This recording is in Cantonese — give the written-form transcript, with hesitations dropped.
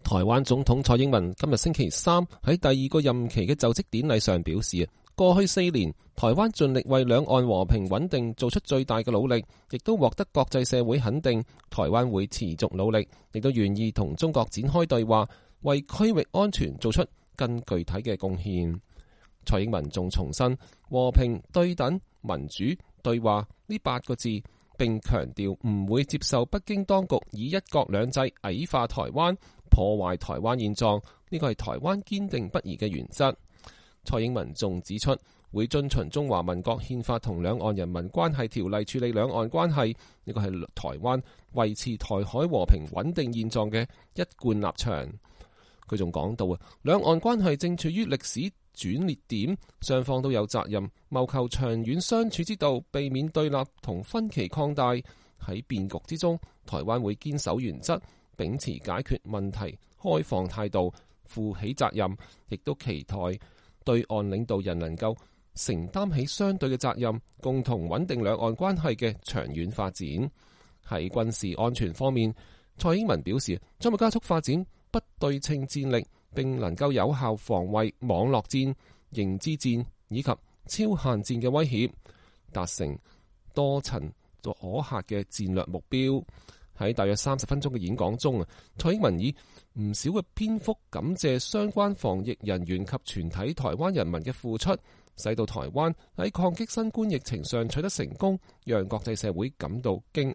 台灣總統蔡英文今日星期三喺第二個任期嘅就職典禮上表示，過去4年台灣盡力為兩岸和平穩定做出最大嘅努力，亦都獲得國際社會肯定。台灣會持續努力，亦都願意同中國展開對話，為區域安全做出更具體嘅貢獻。蔡英文仲重申和平、對等、民主、對話呢8個字，並強調唔會接受北京當局以一國兩制矮化台灣、破壞台灣現狀，呢個係台灣堅定不移嘅原則。蔡英文仲指出，會遵循中華民國憲法同兩岸人民關係條例處理兩岸關係，呢個係台灣維持台海和平穩定現狀嘅一貫立場。佢仲講到兩岸關係正處於歷史轉捩點，雙方都有責任謀求長遠相處之道，避免對立同分歧擴大。喺變局之中，台灣會堅守原則，秉持解決問題開放態度，負起責任，亦都期待對岸領導人能夠承擔起相對嘅責任，共同穩定兩岸關係嘅長遠發展。喺軍事安全方面，蔡英文表示將會加速發展不對稱戰力，並能夠有效防衛網絡戰、認知戰以及超限戰嘅威脅，達成多層可嚇嘅戰略目標。喺大約30分鐘嘅演講中，蔡英文以唔少嘅篇幅感謝相關防疫人員及全體台灣人民嘅付出，使到台灣喺抗擊新冠疫情上取得成功，讓國際社會感到驚訝。